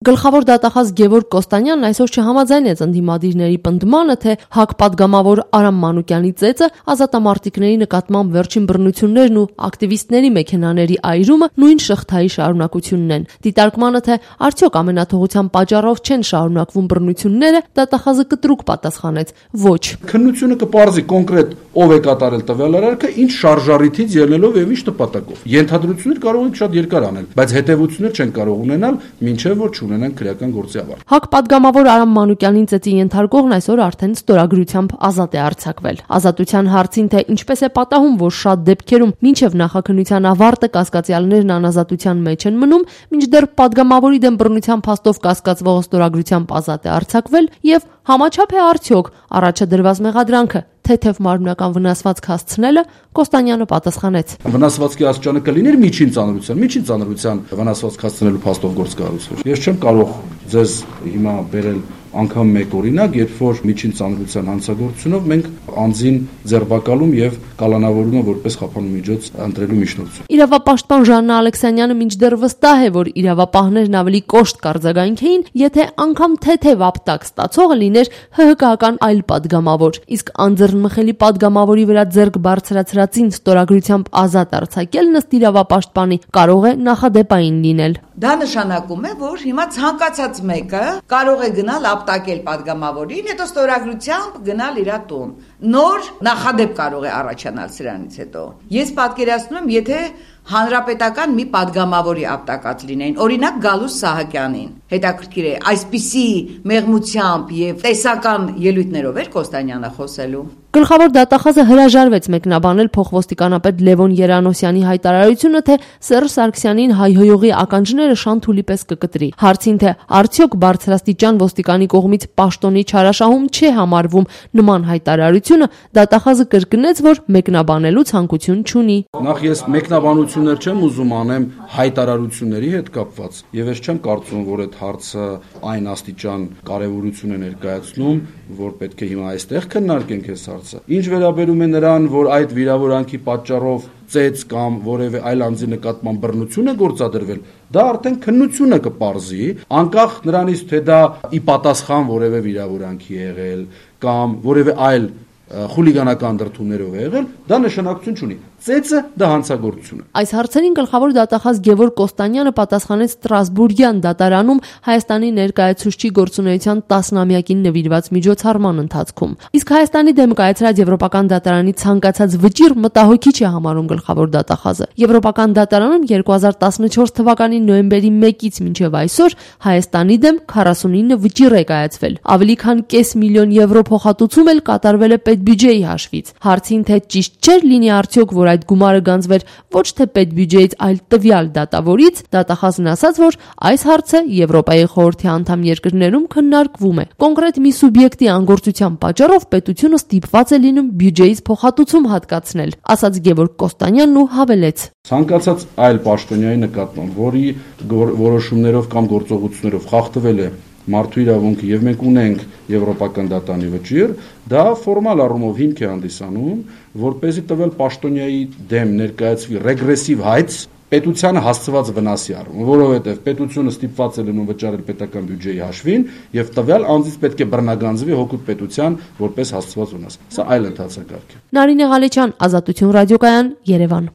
Գլխավոր դատախազ Գևորգ Կոստանյանն այսօր չհամաձայնեց ընդդիմադիրների պնդմանը, թե ՀԱԿ պատգամավոր Արամ Մանուկյանի ծեծը ազատամարտիկների նկատմամբ վերջին բռնություններն ու ակտիվիստների մեքենաների այրումը նույն շղթայի շարունակությունն են։ Դիտարկմանը, թե արդյոք ամենաթողության պատճառով չեն շարունակվում բռնությունները, դատախազը կտրուկ պատասխանեց՝ ոչ։ Քննությունը կպարզի կոնկրետ ով է կատարել տվյալ արարքը, ինչ շարժառիթից ելնելով եւ ինչ նպատակով։ Ենթադրություններ կարող ենք շատ երկար անել, բայց հետեւություններ չեն կարող ունենալ, մինչեւ որ ունենան քրեական գործի ավարտ։ ՀԱԿ պատգամավոր Արամ Մանուկյանին ծեծի ենթարկողն այսօր արդեն ստորագրությամբ ազատ է արձակվել։ Ազատության հարցին, թե ինչպես է պատահում, որ շատ դեպքերում մինչև նախաքննության ավարտը կասկածյալներն անազատության մեջ են մնում, մինչդեռ պատգամավորի դեմ բռնության փաստով կասկածվողը ստորագրությամբ ազատ է արձակվել, եւ համաչափ է արդյոք առաջադրված մեղադրանքը թեթև մարմնական վնասվածք հասցնելը, Կոստանյանը պատասխանեց. Վնասվածքի աստիճանը կլիներ միջին ծանրության վնասվածք հասցնելու փաստով գործկայացություն։ Ես չեմ կարող ձեզ հիմա բերել անգամ մեկ օրինակ, երբ որ միջին ծանրության հանցագործությունով մենք անձին ձերբակալում եւ կալանավորում են որպես խափանու միջոց ընտրելու միջնորդություն։ Իրավապաշտպան Ժաննա Ալեքսանյանը մինչդեռ վստահ է, որ իրավապահներն ավելի կոշտ կարձագանքեին, եթե անգամ թեթև ապտակ ստացողը լիներ ՀՀԿ-ական այլ պատգամավոր, իսկ անձեռնմխելի պատգամավորի վրա ձեռք բարձրացրածին ստորագրությամբ ազատ արձակելն ըստ իրավապաշտպանի կարող է նախադեպային լինել։ Դա նշանակում է, որ հիմա ցանկացած մեկը կարող է գնալ ապտակել պատգամավորին, հետո ստորագրությամբ գնալ իր տուն։ Նոր նախադեպ կարող է առաջանալ սրանից հետո։ Ես պատկերացնում եմ, եթե հանրապետական մի պատգամավորի ապտակած լինեին, օրինակ Գալուս Սահակյանին, հետաքրքիր է, այսպիսի մեղմությամբ եւ տեսական ելույթներով էր Կոստանյանը խոսելու։ Գլխավոր դատախազը հրաժարվեց մեկնաբանել փոխոստիկանապետ Լևոն Երանոսյանի հայտարարությունը, թե Սերժ Սարգսյանին հայհոյողի ականջները շանթուլի պես կկտրի։ Հարցին, թե արդյոք բարձրաստիճան ոստիկանի կողմից պաշտոնի չարաշահում չի համարվում նման հայտարարությունը, դատախազը կրկնեց, որ մեկնաբանելու ցանկություն չունի։ Նախ ես մեկնաբանություններ չեմ ուզում անեմ հայտարարությունների հետ կապված, եւ ես չեմ կարծում, որ այդ հարցը այն աստիճան կարեւորություն է ներկայացնում, որ պետք է հիմա այստեղ քննարկենք այս հարցը։ Ինչ վերաբերում է նրան, որ այդ վիրավորանքի պատճառով ծեծ կամ որևէ այլ անձի նկատմամբ բռնություն է գործադրվել, դա արդեն քննությունը կպարզի, անկախ նրանից, թե դա ի պատասխան որևէ վիրավորանքի եղել կամ որևէ այլ խուլիգանական դրդումներով եղել, դա նշանակություն չունի։ Ծեծը դա հանցագործություն է։ Այս հարցերին գլխավոր դատախազ Գևորգ Կոստանյանը պատասխանեց Ստրասբուրգյան դատարանում Հայաստանի ներկայացուցչի գործունեության 10-ամյակին նվիրված միջոցառման ընթացքում։ Իսկ Հայաստանի դեմ կայացրած Եվրոպական դատարանի ցանկացած վճիռ մտահոգիչ է համարում գլխավոր դատախազը։ Եվրոպական դատարանում 2014 թվականի նոյեմբերի 1-ից մինչև այսօր Հայաստանի դեմ 49 վճիռ է կայացվել։ Ավելի քան կես միլիոն եվրո փոխհատուցում էլ կատարվել է պետբյուջեի հաշվից։ Հարցին, թե ճիշտ չէր լինի արդյոք, որ այդ գումարը գանձվեր ոչ թե պետբյուջեից, այլ տվյալ դատավորից, դատախազն ասաց, որ այս հարցը Եվրոպայի խորհրդի անդամ երկրներում քննարկվում է։ Կոնկրետ մի սուբյեկտի անգործության պատճառով պետությունը ստիպված է լինում բյուջեից փոխհատուցում հատկացնել, ասաց Գևորգ Կոստանյանն ու հավելեց. Ցանկացած այլ պաշտոնյայի նկատմամբ, որի որոշումներով կամ գործողություններով խախտվել է մարդու իրավունքը եւ մենք ունենք Եվրոպական դատարանի վճիռ, դա ֆորմալ առումով հիմք է հանդիսանում, որպեսզի տվել պաշտոնյայի դեմ ներկայացվի ռեգրեսիվ հայց պետությանը հասցված վնասի առումով, որովհետեւ պետությունը ստիպված է լինում վճարել պետական բյուջեի հաշվին եւ տվյալ անձից պետք է բռնագանձվի հօգուտ պետության որպես հասցված վնաս։ Սա այլ ընթացակարգ է։ Նարինե Ղալեչյան, Ազատություն ռադիոկայան, Երևան։